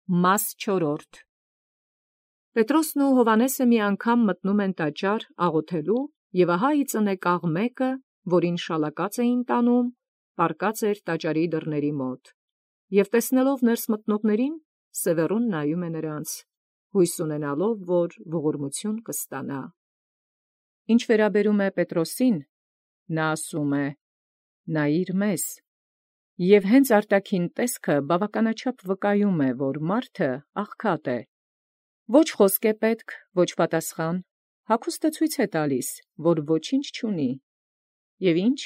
Մաս 4 Պետրոսն ու Հովհաննեսը մի անգամ մտնում են տաճար աղոթելու, և ահա ի ծնեկաղ մեկը, որին շալակած էին տանում, պառկած էր տաճարի դռների մոտ, և տեսնելով ներս մտնողներին, սևեռուն նայում է նրանց, հույս ունենալով, որ ողորմություն կստանա։ Ինչ վերաբերում է Պետրոսին, նա ասում է. «Նայիր մեզ», և հենց արտաքին տեսքը բավականաչափ վկայում է, որ մարդը աղքատ է։ Ոչ խոսք է պետք, ոչ պատասխան, հագուստը ցույց է տալիս, որ ոչինչ չունի։ Եվ ինչ,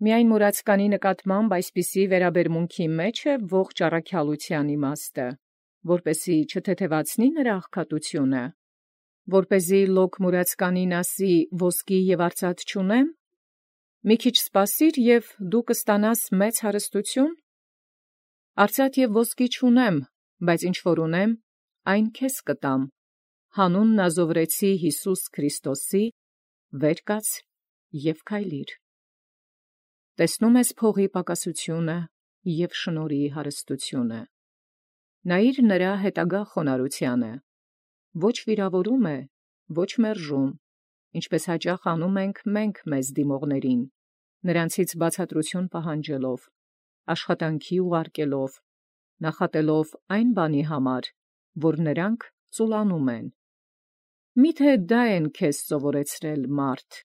միայն մուրացկանի նկատմամբ այսպիսի վերաբերմունքի մեջ է ողջ առաքյալության իմաստը, որպեսզի չթեթևացնի նրա աղքատությունը, որպեսզի լոկ մուրացկանին ասի ոսկի և արծաթ չունեմ, մի քիչ սպասիր, և դու կստանաս մեծ հարստություն։ Արծաթ և ոսկի չունեմ, բայց ինչ որ ունեմ, այն քեզ կտամ, հանուն Նազովրեցի Յիսուս Քրիստոսի, վեր կաց և քայլիր։ Տեսնում ես փողի պակասությունը և շնորհի հարստությունը։ Նայիր նրա հետագա խոնարհությանը, ոչ վիրավորում է, ոչ մերժում, ինչպես հաճախ անում ենք մենք մեզ դիմողներին, նրանցից բացատրություն պահանջելով, աշխատանքի ուղարկելով, նախատելով այն բանի համար, որ նրանք ծուլանում են։ Միթե դա են քեզ սովորեցրել մարդ,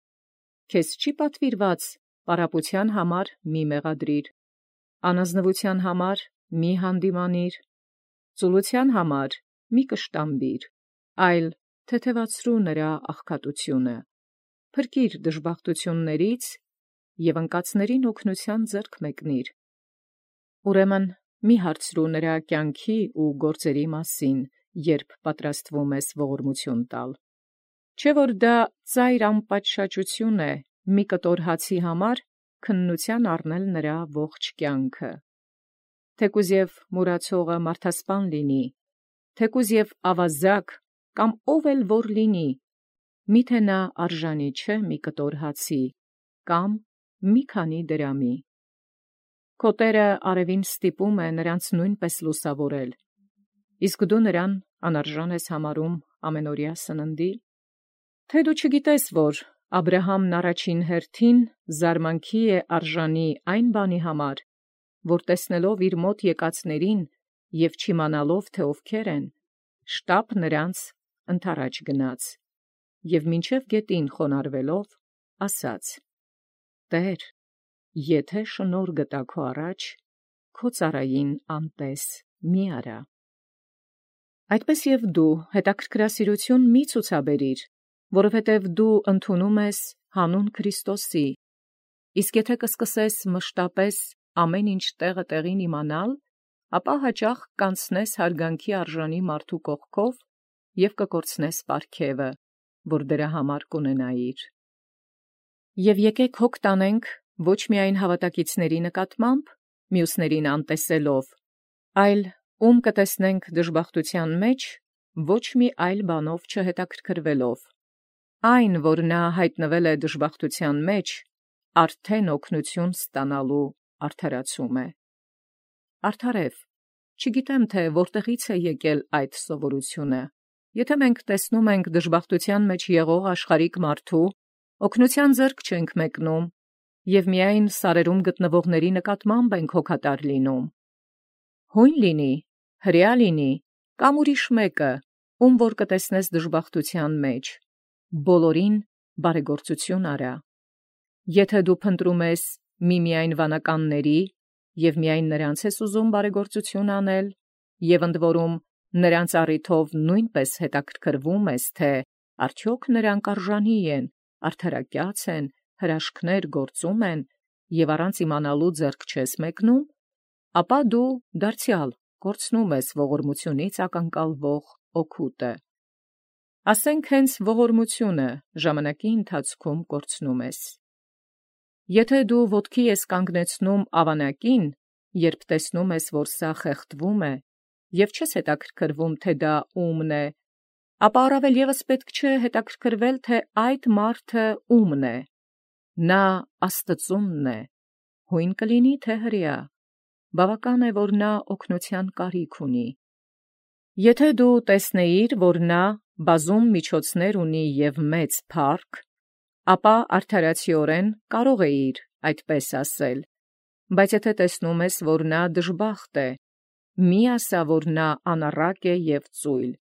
քեզ չի պատվիրված պարապության համար մի մեղադրիր, անազնվության համար մի հանդիմանիր, ծուլության համար մի կշտամբիր, այլ թեթևացրու նրա աղքատությունը, փրկիր դժբախտություններից և անկացներին օգնության ձեռք մեկնիր։ Ուրեմն մի հարցրու նրա կյանքի ու գործերի մասին, երբ պատրաստվում ես ողորմություն տալ։ Չէ՞ որ դա ծայր անպատշաճություն է մի կտոր հացի համար քննության առնել նրա ողջ կյանքը։ Թեկուզ և մուրացողը մարդասպան լինի, թեկուզ և ավազակ կամ ով էլ որ լինի, միթե նա արժանի չէ մի կտոր հացի կամ մի քանի դրամի։ Քո տերը արևին ստիպում է նրանց նույնպես լուսավորել, իսկ դու նրան անարժան ես համարում ամենօրյա սննդի։ Թե դու չգիտես, որ Աբրահամն առաջին հերթին զարմանքի է արժանի այն բանի համար, որ տեսնելով իր մոտ եկածներին և չիմանալով, թե ովքեր են, շտապ նրանց ընդառաջ գնաց, և մինչև գետին խոնարհվելով, ասաց. «Տե՛ր, եթե շնորհ գտա քո առաջ, քո ծառային անտես մի արա»։ Այդպես և դու հետաքրքրասիրություն մի ցուցաբերիր, որովհետև դու ընդունում ես հանուն Քրիստոսի, իսկ եթե կսկսես մշտապես ամեն ինչ տեղը տեղին իմանալ, ապա հաճախ կանցնես հարգանքի արժանի մարդու կողքով և կկորցնես պարգևը, որ դրա համար կունենայիր։ Եվ եկեք հոգ տանենք ոչ միայն հավատակիցների նկատմամբ, մյուսներին անտեսելով, այլ ում կտեսնենք դժբախտության մեջ, ոչ մի այլ բանով չհետաքրքրվելով։ Այն, որ նա հայտնվել է դժբախտության մեջ, արդեն օգնություն ստանալու արդարացում է։ Արդարև, չգիտեմ, թե որտեղից է եկել այդ սովորությունը։ Եթե մենք տեսնում ենք դժբախտության մեջ եղող աշխարհիկ մարդու, օգնության ձեռք չենք մեկնում, և միայն սարերում գտնվողների նկատմամբ ենք հոգատար լինում։ Հույն լինի, հրեա լինի, կամ ուրիշ մեկը, ում որ կտեսնես դժբախտության մեջ, բոլորին բարեգործություն արա։ Եթե դու փնտրում ես միմիայն վանականների և միայն նրանց ես ուզում բարեգործություն անել, և ընդ որում նրանց առիթով նույնպես հետաքրքրվում ես, թե արդյոք նրանք արժանի են, արդարակյաց են, հրաշքներ գործում են, և առանց իմանալու ձեռք չես մեկնում, ապա դու դարձյալ կորցնում ես ողորմությունից ակնկալվող օգուտը։ Ասենք հենց ողորմությունը ժամանակի ընթացքում կորցնում ես։ Եթե դու ոտքի ես կանգնեցնում ավանակին, երբ տեսնում ես, որ սա խեղդվում է, և չես հետաքրքրվում, թե դա ումն է, ապա առավել ևս պետք չէ հետաքրքրվել, թե այդ մարդը ումն է։ Նա Աստծունն է, հույն կլինի, թե հրեա, բավական է, որ նա օգնության կարիք ունի։ Եթե դու տեսնեիր, որ նա բազում միջոցներ ունի և մեծ փառք, ապա արդարացիորեն կարող էիր այդպես ասել, բայց եթե տեսնում ես, որ նա դժբախտ է, մի ասա, որ նա անառակ է և ծույլ,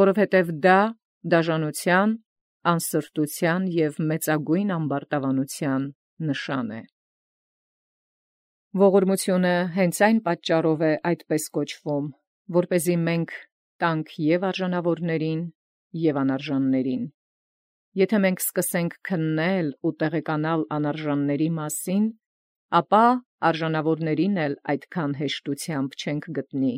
որովհետև դա դաժանության, անսրտության և մեծագույն ամբարտավանության նշան է։ Ողորմությունը հենց այն պատճառով է այդպես կոչվում, որպեսզի մենք տանք և արժանավորներին, և անարժաններին։ Եթե մենք սկսենք քննել ու տեղեկանալ անարժանների մասին, ապա արժանավորներին էլ այդքան հեշտությամբ չենք գտնի։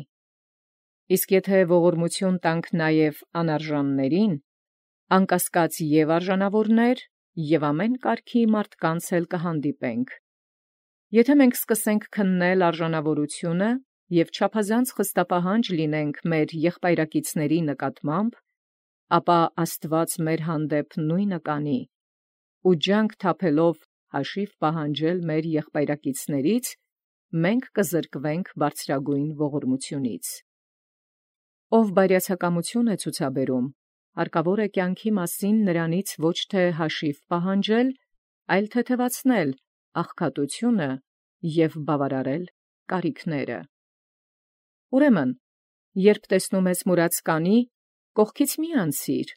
Իսկ եթե ողորմություն տանք նաև անարժաններին, անկասկած և արժանավորներ, և ամեն կարգի մարդկանց էլ կհանդիպենք։ Եթե մենք սկսենք քննել արժանավորությունը և չափազանց խստապահանջ լինենք մեր եղբայրակիցների նկատմամբ, ապա Աստուած մեր հանդեպ նույնը կանի, ու ջանք թափելով հաշիվ պահանջել մեր եղբայրակիցներից, մենք կզրկվենք բարձրագույն ողորմությունից։ Ով բարյացակամություն է ցուցաբերում, հարկավոր է կյանքի մասին նրանից ոչ թե հաշիվ պահանջել, այլ թեթևացնել աղքատությունը և բավարարել կարիքները։ Ուրեմն, երբ տեսնում ես մուրացկանի, կողքից մի անցիր,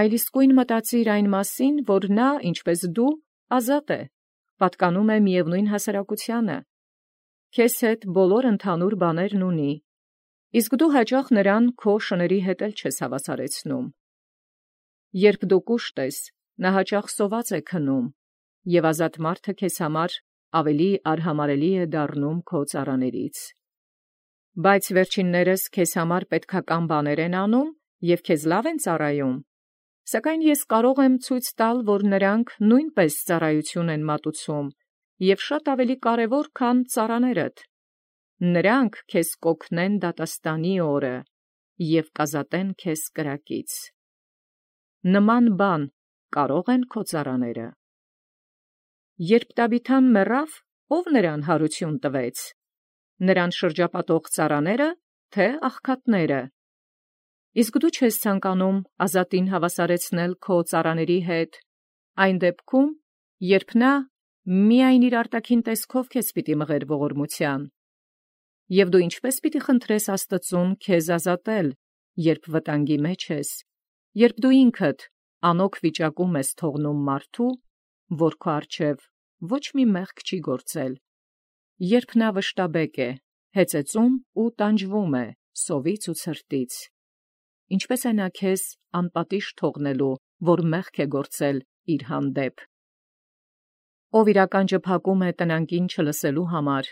այլ իսկույն մտածիր այն մասին, որ նա, ինչպես դու, ազատ է, պատկանում է միևնույն հասարակությանը, քեզ հետ բոլոր ընդհանուր բաներն ունի, իսկ դու հաճախ նրան քո շների հետ էլ չես հավասարեցնում։ Երբ դու կուշտ ես, նա հաճախ սոված է քնում, և ազատ մարդը քեզ համար ավելի արհամարհելի է դառնում քո ծառաներից։ Բայց վերջիններս քեզ համար պետքական բաներ են անում և քեզ լավ են ծառայում, սակայն ես կարող եմ ցույց տալ, որ նրանք նույնպես ծառայություն են մատուցում և շատ ավելի կարևոր, քան ծառաներդ։ Նրանք քեզ կօգնեն դատաստանի օրը և կազատեն քեզ կրակից։ Նման բան կարո՞ղ են քո ծառաները։ Երբ Տաբիթան մեռավ, ո՞վ նրան հարություն տվեց. նրան շրջապատող ծառաները, թե աղքատները։ Իսկ դու չես ցանկանում ազատին հավասարեցնել քո ծառաների հետ, այն դեպքում, երբ նա միայն իր արտաքին տեսքով քեզ պիտի մղեր ողորմության։ Եվ դու ինչպե՞ս պիտի խնդրես Աստծուն քեզ ազատել, երբ վտանգի մեջ ես, երբ դու ինքդ անօգ վիճակում ես թողնում մարդու, որ քո առջև ոչ մի մեղք չի գործել, երբ նա վշտաբեկ է, հեծեծում ու տանջվում է սովից ու ցրտից, ինչպե՞ս է նա քեզ անպատիժ թողնելու, որ մեղք է գործել իր հանդեպ։ Ով իր ականջը փակում է տնանկին չլսելու համար,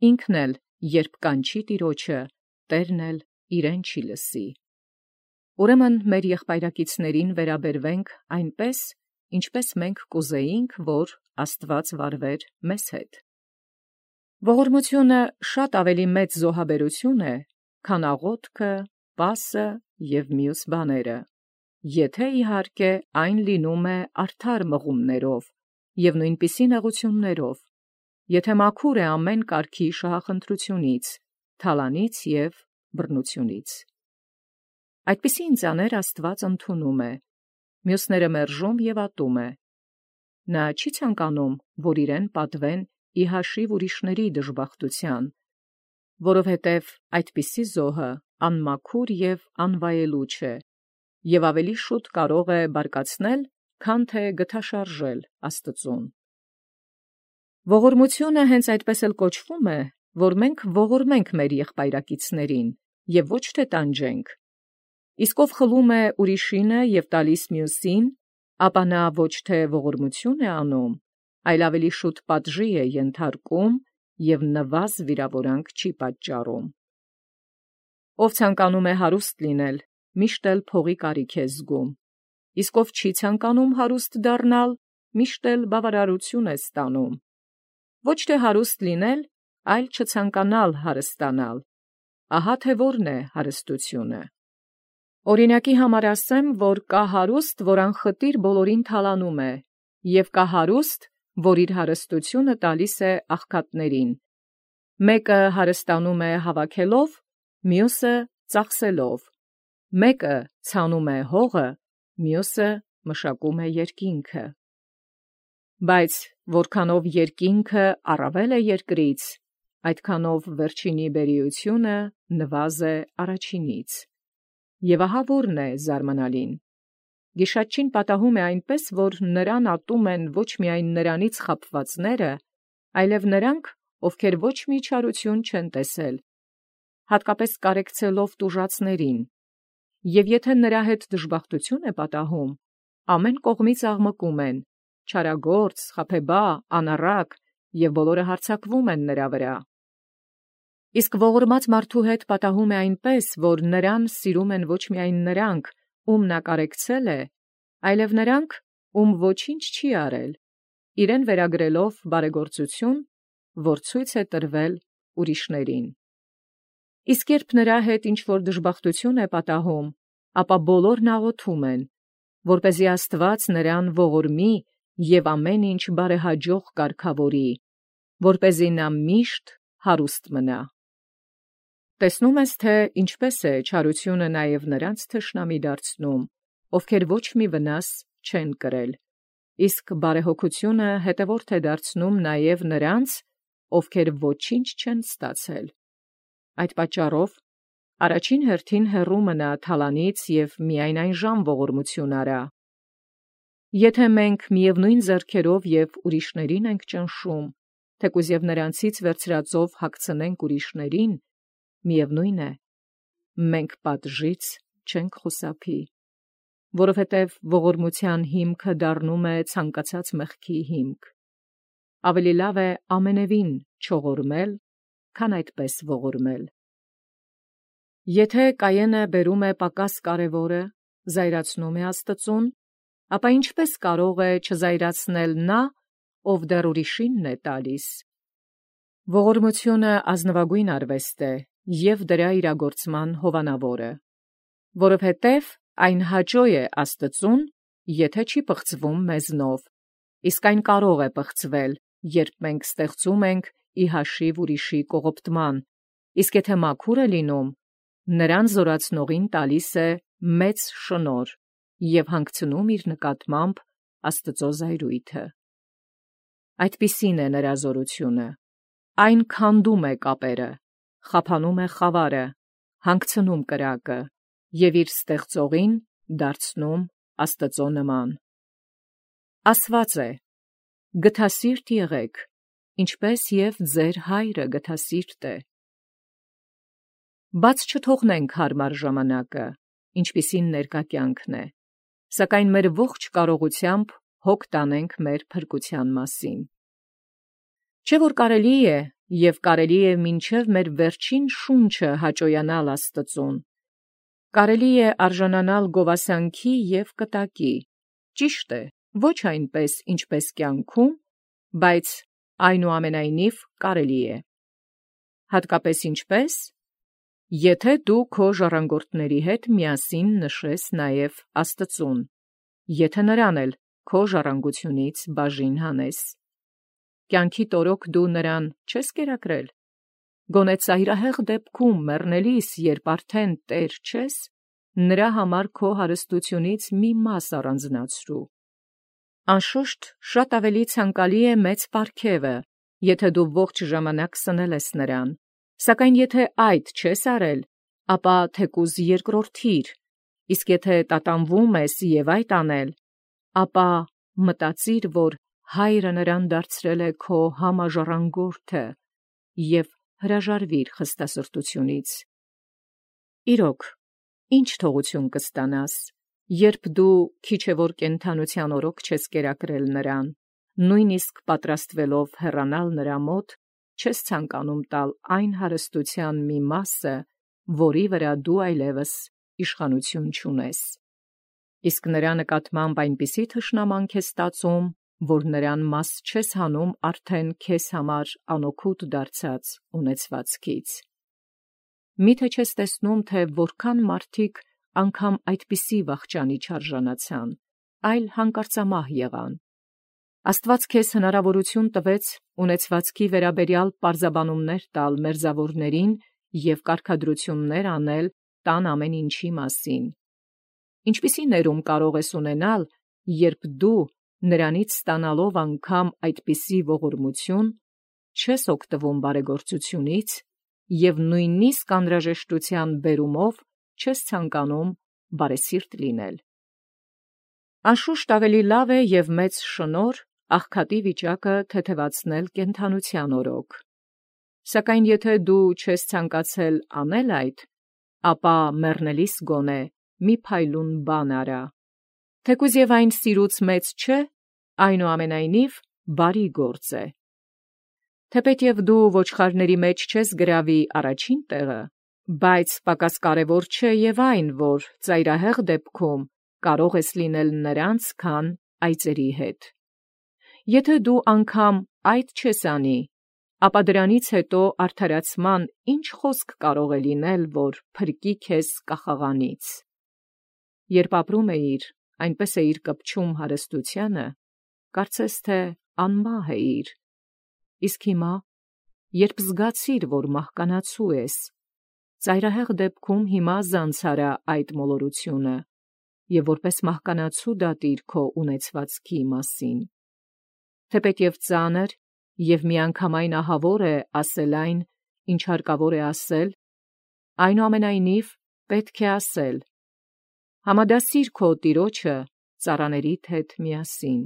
ինքն էլ երբ կանչի Տիրոջը, Տերն էլ իրեն չի լսի։ Ուրեմն մեր եղբայրակիցներին վերաբերվենք այնպես, ինչպես մենք կուզեինք, որ Աստված վարվեր մեզ հետ։ Ողորմությունը շատ ավելի մեծ զոհաբերություն է, քան աղոթքը, պասը և մյուս բաները, եթե իհարկե այն լինում է արդար մղումներով և նույնպիսի նեղություններով, եթե մաքուր է ամեն կարգի շահախնդրությունից, թալանից և բռնությունից։ Այդպիսի ինձաներ Աստված ընդունում է, մյուսները մերժում և ատում է։ Նա չի ցանկանում, որ իրեն պատվեն ի հաշիվ ուրիշների դժբախտության, որովհետև այդպիսի զոհը անմաքուր և անվայելուչ է, և ավելի շուտ կարող է բարկացնել, քան թե գթաշարժել Աստծուն։ Ողորմությունը հենց այդպես էլ կոչվում է, որ մենք ողորմենք մեր եղբայրակիցներին և ոչ թե տանջենք։ Իսկ ով խլում է ուրիշինը և տալիս մյուսին, ապա նա ոչ թե ողորմություն է անում, այլ ավելի շուտ պատժի է ենթարկում և նվազ վիրավորանք չի պատճառում։ Ով ցանկանում է հարուստ լինել, միշտ էլ փողի կարիք է զգում, իսկ ով չի ցանկանում հարուստ դառնալ, միշտ էլ բավարարություն է ստանում։ Ոչ թե հարուստ լինել, այլ չցանկանալ հարստանալ, ահա թե որն է հարստությունը։ Օրինակի համար ասեմ, որ կա հարուստ, որ անխտիր բոլորին թալանում է, և կա հարուստ, որ իր հարստությունը տալիս է աղքատներին։ Մեկը հարստանում է հավաքելով, մյուսը ծախսելով. մեկը ցանում է հողը, մյուսը մշակում է երկինքը։ Բայց որքանով երկինքը առավել է երկրից, այդքանով վերջինի բերիությունը նվազ է առաջինից։ Եվ ահա որն է զարմանալին. Գիշատչին պատահում է այնպես, որ նրան ատում են ոչ միայն նրանից խաբվածները, այլև նրանք, ովքեր ոչ մի չարություն չեն տեսել, հատկապես կարեկցելով տուժածներին, և եթե նրա հետ դժբախտություն է պատահում, ամեն կողմից աղմկում են, չարագործ, խաբեբա, անառակ, և բոլորը հարձակվում են նրա վրա։ Իսկ ողորմած մարդու հետ պատահում է այնպես, որ նրան սիրում են ոչ միայն նրանք, ում նա կարեկցել է, այլև նրանք, ում ոչինչ չի արել, իրեն վերագրելով բարեգործություն, որ ցույց է տրվել ուրիշներին։ Իսկ երբ նրա հետ ինչ-որ դժբախտություն է պատահում, ապա բոլորն աղոթում են, որպեսզի Աստված նրան ողորմի և ամեն ինչ բարեհաջող կարգավորի, որպեսզի նա միշտ հարուստ մնա։ Տեսնում ես, թե ինչպես է չարությունը նաև նրանց թշնամի դարձնում, ովքեր ոչ մի վնաս չեն կրել, իսկ բարեհոգությունը հետևորդ է դարձնում նաև նրանց, ովքեր ոչինչ չեն ստացել։ Այդ պատճառով առաջին հերթին հեռու մնա թալանից և միայն այնժամ ողորմություն արա։ Եթե մենք միևնույն ձեռքերով և ուրիշներին ենք ճնշում, թեկուզ և նրանցից վերցրածով հագցնենք ուրիշներին, միևնույն է, մենք պատժից չենք խուսափի, որովհետև ողորմության հիմքը դառնում է ցանկացած մեղքի հիմք։ Ավելի լավ է ամենևին չողորմել, քան այդպես ողորմել։ Եթե Կայենը բերում է պակաս կարևորը, զայրացնում է Աստծուն, ապա ինչպես կարող է չզայրացնել նա, ով դեռ ուրիշինն է տալիս։ Ողորմությունը ազնվագույն արվեստ է և դրա իրագործման հովանավորը, որովհետև այն հաճո է Աստծուն, եթե չի պղծվում մեզնով, իսկ այն կարող է պղծվել, երբ մենք ստեղծում ենք ի հաշիվ ուրիշի կողոպտման, իսկ եթե մաքուր է լինում, նրան զորացնողին տալիս է մեծ շնորհ և հանգցնում իր նկատմամբ Աստծո զայրույթը։ Այդպիսին է նրա զորությունը. այն քանդում է կապերը, խափանում է խավարը, հանգցնում կրակը և իր ստեղծողին դարձնում Աստծո նման։ Ասված է. գթասիրտ եղեք, ինչպես և ձեր հայրը գթասիրտ է։ Բաց չթողնենք հարմար ժամանակը, ինչպիսին ներկա կյանքն է, սակայն մեր ողջ կարողությամբ հոգ տանենք մեր փրկության մասին։ Չէ՞ որ կարելի է և կարելի է մինչև մեր վերջին շունչը հաճոյանալ Աստծուն, կարելի է արժանանալ գովասանքի և կտակի, ճիշտ է, ոչ այնպես, ինչպես կյանքում, բայց այնուամենայնիվ կարելի է։ Հատկապես ինչպես, եթե դու քո ժառանգորդների հետ միասին նշես նաև Աստծուն, եթե նրան էլ քո ժառանգությունից բաժին հանես։ Կյանքի տորոք դու նրան չես կերակրել։ Գոնե ծայրահեղ դեպքում մեռնելիս, երբ արդեն տեր չես, նրա համար քո հարստությունից մի մաս առանձնացրու։ Անշուշտ, շատ ավելի ցանկալի է մեծ պարգևը, եթե դու ողջ ժամանակ սնել ես նրան, սակայն եթե այդ չես արել, ապա թեկուզ երկրորդիր, իսկ եթե տատանվում ես և այդ անել, ապա մտածիր, որ հայրը նրան դարձրել է քո համաժառանգորդը և հրաժարվիր խստասրտությունից։ Իրոք, ի՞նչ թողություն կստանաս, երբ դու քիչ է որ կենդանության օրոք չես կերակրել նրան, նույնիսկ պատրաստվելով հեռանալ նրա մոտ, չես ցանկանում տալ այն հարստության մի մասը, որի վրա դու այլևս իշխանություն չունես։ Իսկ նրա նկատմամբ այնպիսի թշնամանք ես ստացում, որ նրան մաս չես հանում արդեն քեզ համար անօգուտ դարձած ունեցվածքից։ Մի՞թե չես տեսնում, թե որքան մարդիկ անգամ այդպիսի վախճանի չարժանացան, այլ հանկարծամահ եղան։ Աստված քեզ հնարավորություն տվեց ունեցվածքի վերաբերյալ պարզաբանումներ տալ մերձավորներին և կարգադրություններ անել տան ամեն ինչի մասին։ Ինչպիսի ներում կարող ես ունենալ, երբ դու նրանից ստանալով անգամ այդպիսի ողորմություն, չես օգտվում բարեգործությունից և նույնիսկ անհրաժեշտության բերումով չես ցանկանում բարեսիրտ լինել։ Անշուշտ ավելի լավ է և մեծ շնորհ աղքատի վիճակը թեթևացնել կենդանության օրոք։ Սակայն եթե դու չես ցանկացել անել այդ, ապա մեռնելիս գոնե մի փայլուն բան արա։ Թեկուզ և այն սիրուց մեծ չէ, այնուամենայնիվ բարի գործ է։ Թեպետև դու ոչխարների մեջ չես գրավի առաջին տեղը, բայց պակաս կարևոր չէ և այն, որ ծայրահեղ դեպքում կարող ես լինել նրանց, քան այծերի հետ։ Եթե դու անգամ այդ չես անի, ապա դրանից հետո արդարացման ինչ խոսք կարող է լինել, որ փրկի քեզ կախաղանից։ Երբ ապրում էիր, այնպես էիր կպչում հարստությանը, կարծես թե անմահ էիր, իսկ հիմա, երբ զգացիր, որ մահկանացու ես, ծայրահեղ դեպքում հիմա զանցարա այդ մոլորությունը և որպես մահկանացու դատիր քո ունեցվածքի մասին։ Թեպետև ծանր և միանգամայն ահավոր է ասել այն, ինչ հարկավոր է ասել, այնուամենայնիվ պետք է ասել. համադասիր քո տիրոջը ծառաներիդ հետ միասին։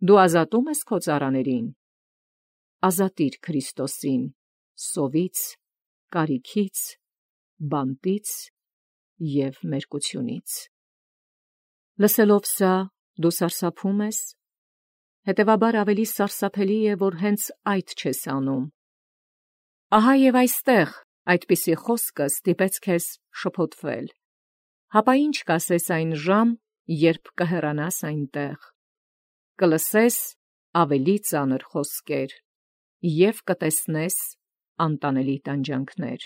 Դու ազատում ես քո ծառաներին, ազատիր Քրիստոսին սովից, կարիքից, բանտից և մերկությունից։ Լսելով սա, դու սարսափում ես, հետևաբար ավելի սարսափելի է, որ հենց այդ չես անում։ Ահա և այստեղ այդպիսի խոսքը ստիպեց քեզ շփոթվել։ Հապա ի՞նչ կասես այն ժամ, երբ կհեռանաս այնտեղ։ Կլսես ավելի ծանր խոսքեր և կտեսնես անտանելի տանջանքներ։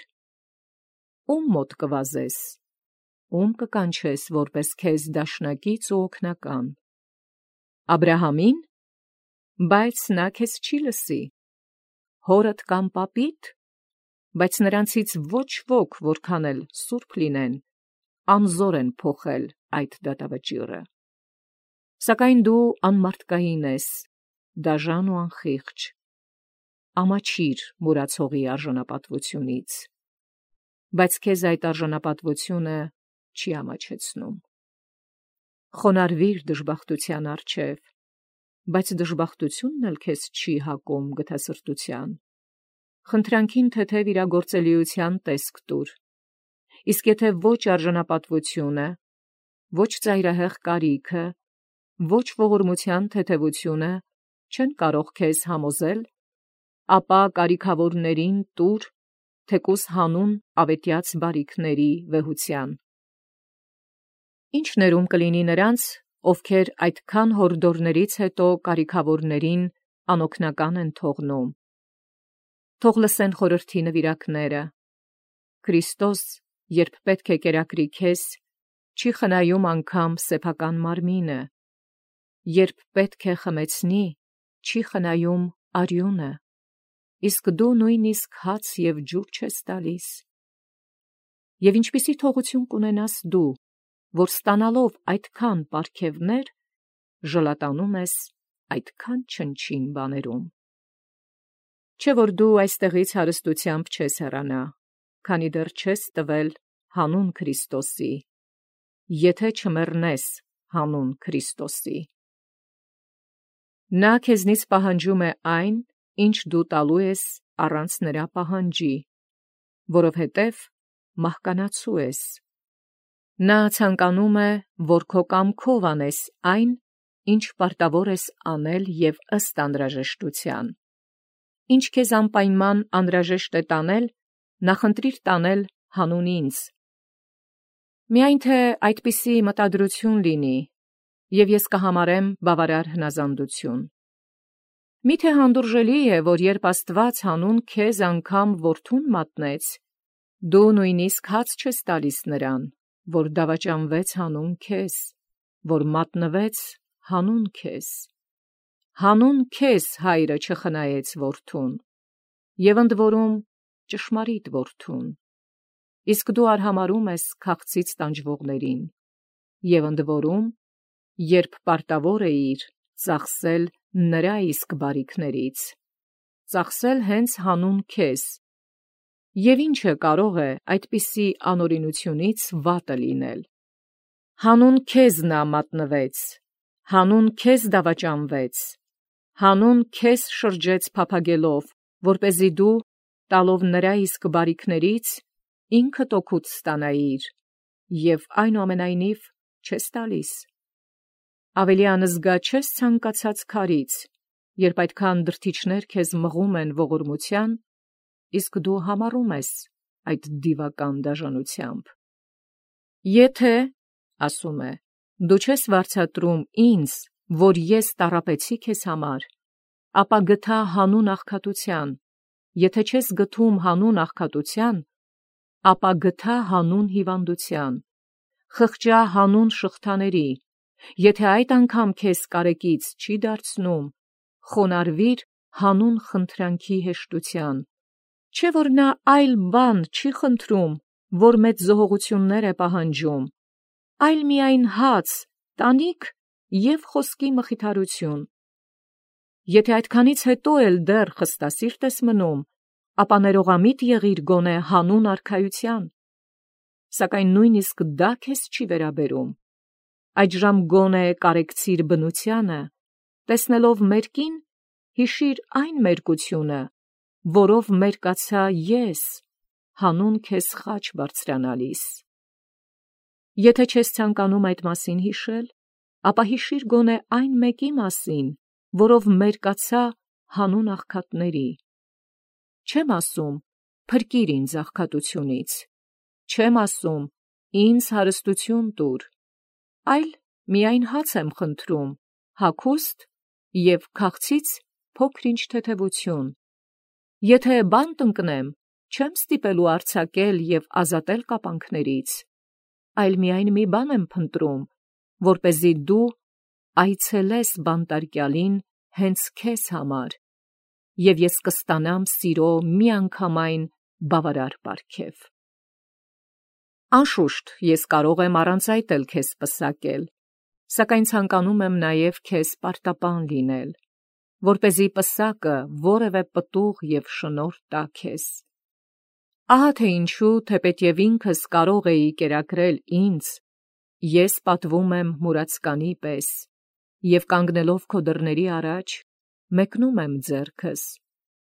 Ո՞ւմ մոտ կվազես, ո՞ւմ կկանչես որպես քեզ դաշնակից ու օգնական։ Աբրահամի՞ն, բայց նա քեզ չի լսի։ Հորդ կամ պապի՞դ, բայց նրանցից ոչ ոք, որքան էլ սուրբ լինեն, անզոր են փոխել այդ դատավճիռը։ Սակայն դու անմարդկային ես, դաժան ու անխիղճ, ամաչիր մուրացողի արժանապատվությունից, բայց քեզ այդ արժանապատվությունը չի ամաչեցնում։ Խոնարհվիր դժբախտության առջև, բայց դժբախտությունն էլ քեզ չի հակում գթասրտության։ Խնդրանքին թեթև իրագործելիության տեսք տուր, իսկ եթե ոչ արժանապատվությունը, ոչ ծայրահեղ կարիքը, ոչ ողորմության թեթևությունը չեն կարող քեզ համոզել, ապա կարիքավորներին տուր թեկուզ հանուն ավետյաց բարիքների վեհության։ Ի՞նչ ներում կլինի նրանց, ովքեր այդքան հորդորներից հետո կարիքավորներին անօգնական են թողնում։ Թող լսեն խորհրդի նվիրակները։ Քրիստոս, երբ պետք է կերակրի քեզ, չի խնայում անգամ սեփական մարմինը, երբ պետք է խմեցնի, չի խնայում արյունը, իսկ դու նույնիսկ հաց և ջուր չես տալիս։ Եվ ինչպիսի թողություն կունենաս դու, որ ստանալով այդքան պարգևներ, ժլատանում ես այդքան չնչին բաներում։ Չէ՞ որ դու այստեղից հարստությամբ չես հեռանա, քանի դեռ չես տվել հանուն Քրիստոսի, եթե չմեռնես հանուն Քրիստոսի։ Նա քեզնից պահանջում է այն, ինչ դու տալու ես առանց նրա պահանջի, որովհետև մահկանացու ես։ Նա ցանկանում է, որ քո կամքով անես այն, ինչ պարտավոր ես անել և ըստ անհրաժեշտության։ Ինչ քեզ անպայման անհրաժեշտ է տանել, նախընտրիր տանել հանուն ինձ։ Միայն թե այդպիսի մտադրություն լինի, և ես կհամարեմ բավարար հնազանդություն։ Մի՞թե հանդուրժելի է, որ երբ Աստված հանուն քեզ անգամ որդուն մատնեց, դու նույնիսկ հաց չես տալիս նրան, որ դավաճանվեց հանուն քեզ, որ մատնվեց հանուն քեզ։ Հանուն քեզ հայրը չխնայեց որդուն, և ընդ որում ճշմարիտ որդուն։ իսկ դու արհամարում ես քաղցից տանջվողներին, և ընդ որում, երբ պարտավոր էիր ծախսել նրա իսկ բարիքներից, ծախսել հենց հանուն քեզ, և ինչը կարող է այդպիսի անօրինությունից վատը լինել։ Հանուն քեզ նա մատնվեց, հանուն քեզ դավաճանվեց, հանուն քեզ շրջեց փափագելով, որպեսզի դու, տալով նրա իսկ բարիքներից, ինքդ օգուտ ստանայիր, և այնուամենայնիվ չես տալիս։ Ավելի անզգա չես ցանկացած քարից, երբ այդքան դրդիչներ քեզ մղում են ողորմության, իսկ դու համառում ես այդ դիվական դաժանությամբ։ Եթե, ասում է, դու չես վարձատրում ինձ, որ ես տառապեցի քեզ համար, ապա գթա հանուն աղքատության, եթե չես գթում հանուն աղքատության, ապա գթա հանուն հիվանդության, խղճա հանուն շղթաների, եթե այդ անգամ քեզ կարեկից չի դարձնում, խոնարհվիր հանուն խնդրանքի հեշտության, չէ՞ որ նա այլ բան չի խնդրում, որ մեծ զոհողություններ է պահանջում, այլ միայն հաց, տանիք և խոսքի մխիթարություն։ Եթե այդքանից հետո էլ դեռ խստասիրտ ես մնում, ապա ներողամիտ եղիր գոնե հանուն արքայության, սակայն նույնիսկ դա քեզ չի վերաբերում։ Այդժամ գոնե կարեկցիր բնությանը, տեսնելով մերկին, հիշիր այն մերկությունը, որով մերկացա ես, հանուն քեզ խաչ բարձրանալիս։ Եթե չես ցանկանում այդ մասին հիշել, ապա հիշիր գոնե այն մեկի մասին, որով մերկացա հանուն աղքատների։ Չեմ ասում, փրկիր ինձ աղքատությունից, չեմ ասում, ինձ հարստություն տուր, այլ միայն հաց եմ խնդրում, հագուստ և քաղցից փոքր-ինչ թեթևություն։ Եթե բանտ ընկնեմ, չեմ ստիպելու արձակել և ազատել կապանքներից, այլ միայն մի բան եմ փնտրում, որպեսզի դու այցելես բանտարկյալին հենց քեզ համար, և ես կստանամ սիրո միանգամայն բավարար պարգև։ Անշուշտ, ես կարող եմ առանց այդ էլ քեզ պսակել, սակայն ցանկանում եմ նաև քեզ պարտապան լինել, որպեսզի պսակը որևէ պտուղ և շնորհ տա քեզ։ Ահա թե ինչու, թեպետև ինքս կարող էի կերակրել ինձ, ես պատվում եմ մուրացկանի պես, և կանգնելով քո դռների առաջ, մեկնում եմ ձեռքս,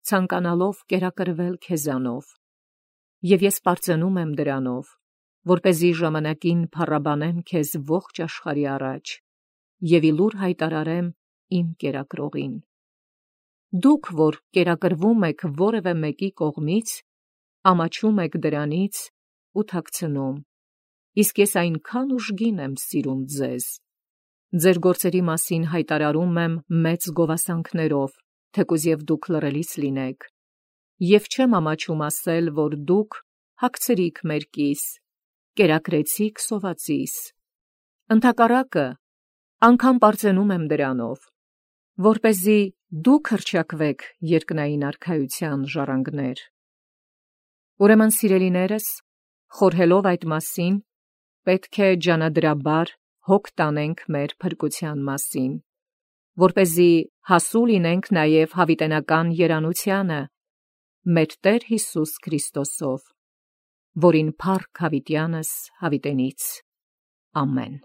ցանկանալով կերակրվել քեզանով, և ես պարծենում եմ դրանով, որպեսզի ժամանակին փառաբանեմ քեզ ողջ աշխարհի առաջ և ի լուր հայտարարեմ իմ կերակրողին։ Դուք, որ կերակրվում եք որևէ մեկի կողմից, ամաչում եք դրանից ու թաքցնում, իսկ ես այնքան ուժգին եմ սիրում ձեզ։ Ձեր գործերի մասին հայտարարում եմ մեծ գովասանքներով, թեկուզ և դուք լռելից լինեք, և չեմ ամաչում ասել, որ դուք հագցրիք մերկիս, կերակրեցիք սովածիս։ Ընդհակառակը, անգամ պարծենում եմ դրանով, որպեսզի դուք հռչակվեք երկնային արքայության ժառանգներ։ Ուրեմն, սիրելիներս, խորհելով այդ մասին, պետք է ջանադրաբար հոգ տանենք մեր փրկության մասին, որպեսզի հասու լինենք նաև հավիտենական երանությանը մեր Տեր Հիսուս Քրիստոսով, որին փառք հավիտյանս հավիտենից։ Ամեն։